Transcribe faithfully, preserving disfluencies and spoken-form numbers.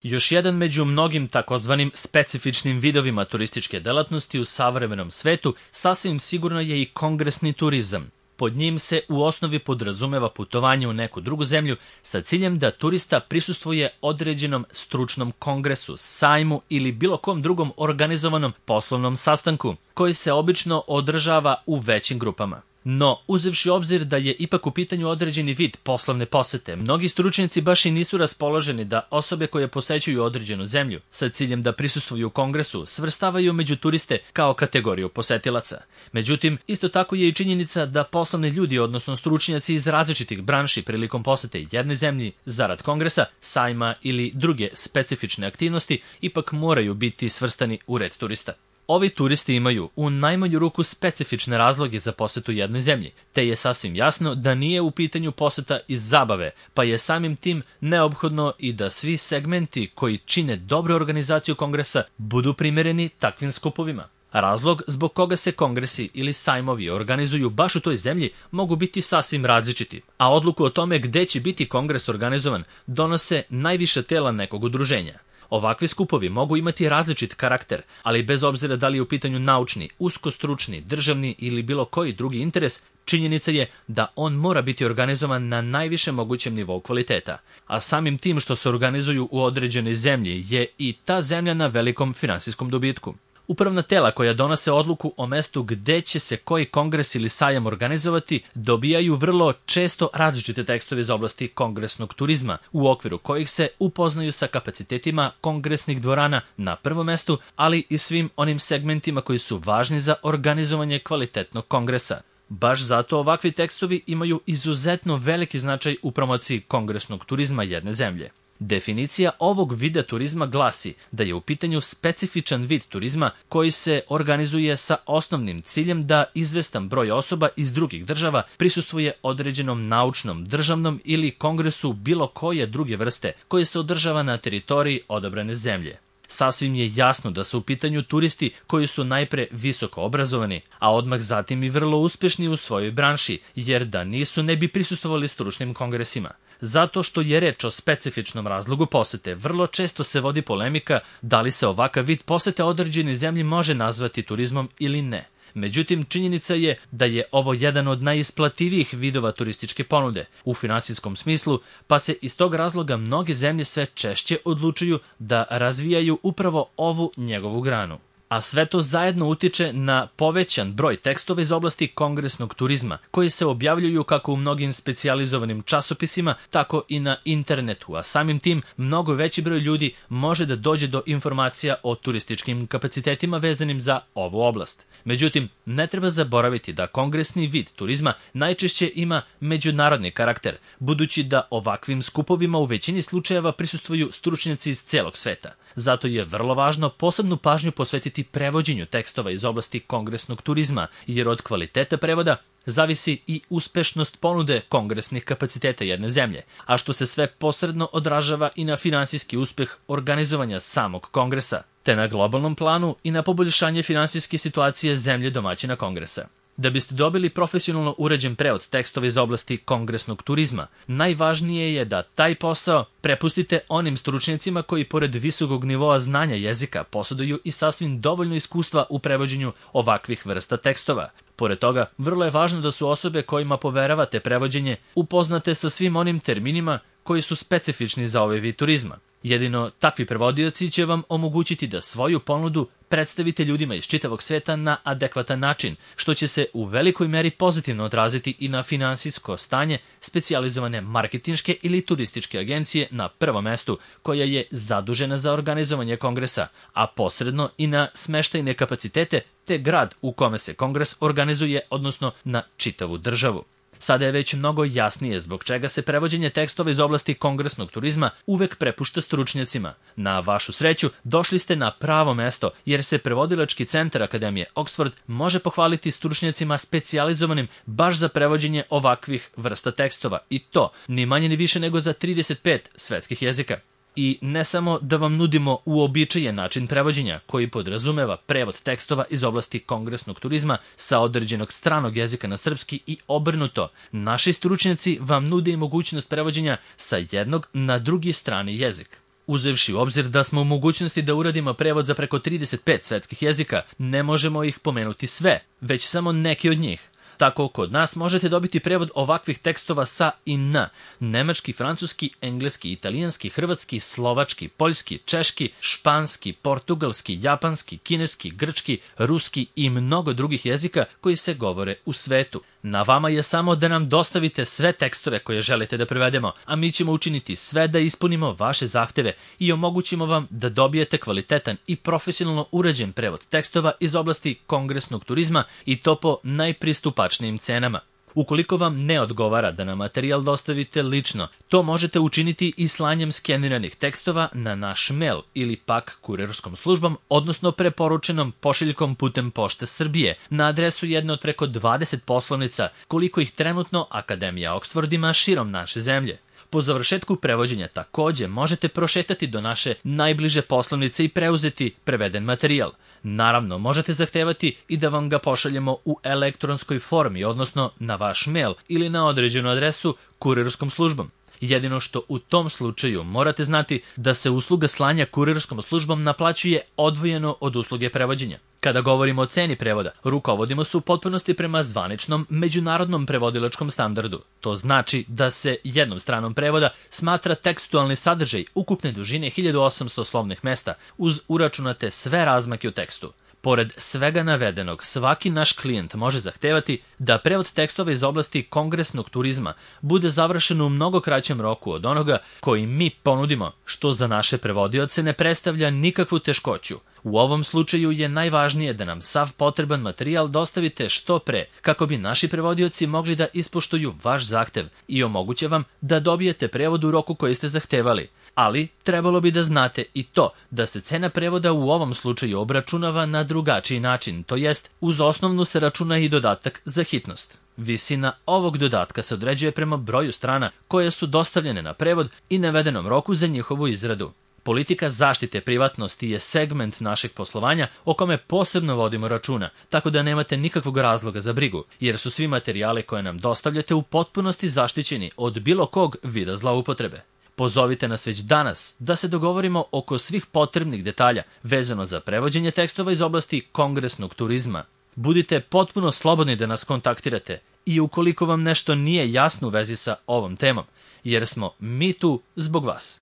Još jedan među mnogim takozvanim specifičnim vidovima turističke delatnosti u savremenom svetu sasvim sigurno je i kongresni turizam. Pod njim se u osnovi podrazumeva putovanje u neku drugu zemlju sa ciljem da turista prisustvuje određenom stručnom kongresu, sajmu ili bilo kom drugom organizovanom poslovnom sastanku, koji se obično održava u većim grupama. No, uzevši obzir da je ipak u pitanju određeni vid poslovne posete, mnogi stručnjaci baš i nisu raspoloženi da osobe koje posećuju određenu zemlju sa ciljem da prisustvuju kongresu svrstavaju među turiste kao kategoriju posetilaca. Međutim, isto tako je i činjenica da poslovni ljudi, odnosno stručnjaci iz različitih branši prilikom posete jednoj zemlji zarad kongresa, sajma ili druge specifične aktivnosti ipak moraju biti svrstani u red turista. Ovi turisti imaju u najmanju ruku specifične razloge za posetu jednoj zemlji, te je sasvim jasno da nije u pitanju poseta iz zabave, pa je samim tim neophodno i da svi segmenti koji čine dobru organizaciju kongresa budu primereni takvim skupovima. Razlog zbog koga se kongresi ili sajmovi organizuju baš u toj zemlji mogu biti sasvim različiti, a odluku o tome gde će biti kongres organizovan donose najviša tela nekog udruženja. Ovakvi skupovi mogu imati različit karakter, ali bez obzira da li je u pitanju naučni, uskostručni, državni ili bilo koji drugi interes, činjenica je da on mora biti organizovan na najvišem mogućem nivou kvaliteta. A samim tim što se organizuju u određenoj zemlji je i ta zemlja na velikom finansijskom dobitku. Upravna tela koja donose odluku o mestu gde će se koji kongres ili sajam organizovati dobijaju vrlo često različite tekstove iz oblasti kongresnog turizma, u okviru kojih se upoznaju sa kapacitetima kongresnih dvorana na prvom mestu, ali i svim onim segmentima koji su važni za organizovanje kvalitetnog kongresa. Baš zato ovakvi tekstovi imaju izuzetno veliki značaj u promociji kongresnog turizma jedne zemlje. Definicija ovog vida turizma glasi da je u pitanju specifičan vid turizma koji se organizuje sa osnovnim ciljem da izvestan broj osoba iz drugih država prisustvuje određenom naučnom, državnom ili kongresu bilo koje druge vrste koji se održava na teritoriji odabrane zemlje. Sasvim je jasno da su u pitanju turisti koji su najpre visoko obrazovani, a odmah zatim i vrlo uspešni u svojoj branši, jer da nisu ne bi prisustvovali stručnim kongresima. Zato što je reč o specifičnom razlogu posete, vrlo često se vodi polemika da li se ovakav vid posete određenoj zemlji može nazvati turizmom ili ne. Međutim, činjenica je da je ovo jedan od najisplativijih vidova turističke ponude u finansijskom smislu, pa se iz tog razloga mnoge zemlje sve češće odlučuju da razvijaju upravo ovu njegovu granu. A sve to zajedno utiče na povećan broj tekstova iz oblasti kongresnog turizma, koji se objavljuju kako u mnogim specijalizovanim časopisima, tako i na internetu, a samim tim mnogo veći broj ljudi može da dođe do informacija o turističkim kapacitetima vezanim za ovu oblast. Međutim, ne treba zaboraviti da kongresni vid turizma najčešće ima međunarodni karakter, budući da ovakvim skupovima u većini slučajeva prisustvuju stručnjaci iz celog sveta. Zato je vrlo važno posebnu pažnju posvetiti prevođenju tekstova iz oblasti kongresnog turizma, jer od kvaliteta prevoda zavisi i uspešnost ponude kongresnih kapaciteta jedne zemlje, a što se sve posredno odražava i na finansijski uspeh organizovanja samog kongresa, te na globalnom planu i na poboljšanje finansijske situacije zemlje domaćina kongresa. Da biste dobili profesionalno uređen prevod tekstova iz oblasti kongresnog turizma, najvažnije je da taj posao prepustite onim stručnjacima koji pored visokog nivoa znanja jezika posjeduju i sasvim dovoljno iskustva u prevođenju ovakvih vrsta tekstova. Pored toga, vrlo je važno da su osobe kojima poveravate prevođenje upoznate sa svim onim terminima koji su specifični za ovaj vid turizma. Jedino takvi prevodioci će vam omogućiti da svoju ponudu predstavite ljudima iz čitavog sveta na adekvatan način, što će se u velikoj meri pozitivno odraziti i na finansijsko stanje specijalizovane marketinške ili turističke agencije na prvom mestu, koja je zadužena za organizovanje kongresa, a posredno i na smeštajne kapacitete te grad u kome se kongres organizuje, odnosno na čitavu državu. Sada je već mnogo jasnije zbog čega se prevođenje tekstova iz oblasti kongresnog turizma uvek prepušta stručnjacima. Na vašu sreću, došli ste na pravo mesto, jer se prevodilački centar Akademije Oxford može pohvaliti stručnjacima specijalizovanim baš za prevođenje ovakvih vrsta tekstova, i to ni manje ni više nego za trideset pet svetskih jezika. I ne samo da vam nudimo uobičajen način prevođenja koji podrazumeva prevod tekstova iz oblasti kongresnog turizma sa određenog stranog jezika na srpski i obrnuto, naši stručnjaci vam nude i mogućnost prevođenja sa jednog na drugi strani jezik. Uzevši u obzir da smo u mogućnosti da uradimo prevod za preko trideset pet svetskih jezika, ne možemo ih pomenuti sve, već samo neki od njih. Tako kod nas možete dobiti prevod ovakvih tekstova sa i na: nemački, francuski, engleski, italijanski, hrvatski, slovački, poljski, češki, španski, portugalski, japanski, kineski, grčki, ruski i mnogo drugih jezika koji se govore u svetu. Na vama je samo da nam dostavite sve tekstove koje želite da prevedemo, a mi ćemo učiniti sve da ispunimo vaše zahteve i omogućimo vam da dobijete kvalitetan i profesionalno urađen prevod tekstova iz oblasti kongresnog turizma i to po najpristupačnijim cenama. Ukoliko vam ne odgovara da nam materijal dostavite lično, to možete učiniti i slanjem skeniranih tekstova na naš mail ili pak kurirskom službom, odnosno preporučenom pošiljkom putem Pošte Srbije na adresu jedne od preko dvadeset poslovnica, koliko ih trenutno Akademija Oxford ima širom naše zemlje. Po završetku prevođenja takođe možete prošetati do naše najbliže poslovnice i preuzeti preveden materijal. Naravno, možete zahtevati i da vam ga pošaljemo u elektronskoj formi, odnosno na vaš mail ili na određenu adresu kurirskom službom. Jedino što u tom slučaju morate znati da se usluga slanja kurirskom službom naplaćuje odvojeno od usluge prevođenja. Kada govorimo o ceni prevoda, rukovodimo se u potpunosti prema zvaničnom međunarodnom prevodilačkom standardu. To znači da se jednom stranom prevoda smatra tekstualni sadržaj ukupne dužine hiljadu osamsto slovnih mesta uz uračunate sve razmake u tekstu. Pored svega navedenog, svaki naš klijent može zahtevati da prevod tekstova iz oblasti kongresnog turizma bude završen u mnogo kraćem roku od onoga koji mi ponudimo, što za naše prevodioce ne predstavlja nikakvu teškoću. U ovom slučaju je najvažnije da nam sav potreban materijal dostavite što pre, kako bi naši prevodioci mogli da ispoštuju vaš zahtev i omoguće vam da dobijete prevod u roku koji ste zahtevali. Ali trebalo bi da znate i to da se cena prevoda u ovom slučaju obračunava na drugačiji način, to jest uz osnovnu se računa i dodatak za hitnost. Visina ovog dodatka se određuje prema broju strana koje su dostavljene na prevod i navedenom roku za njihovu izradu. Politika zaštite privatnosti je segment našeg poslovanja o kome posebno vodimo računa, tako da nemate nikakvog razloga za brigu, jer su svi materijali koje nam dostavljate u potpunosti zaštićeni od bilo kog vida zloupotrebe. Pozovite nas već danas da se dogovorimo oko svih potrebnih detalja vezano za prevođenje tekstova iz oblasti kongresnog turizma. Budite potpuno slobodni da nas kontaktirate i ukoliko vam nešto nije jasno u vezi sa ovom temom, jer smo mi tu zbog vas.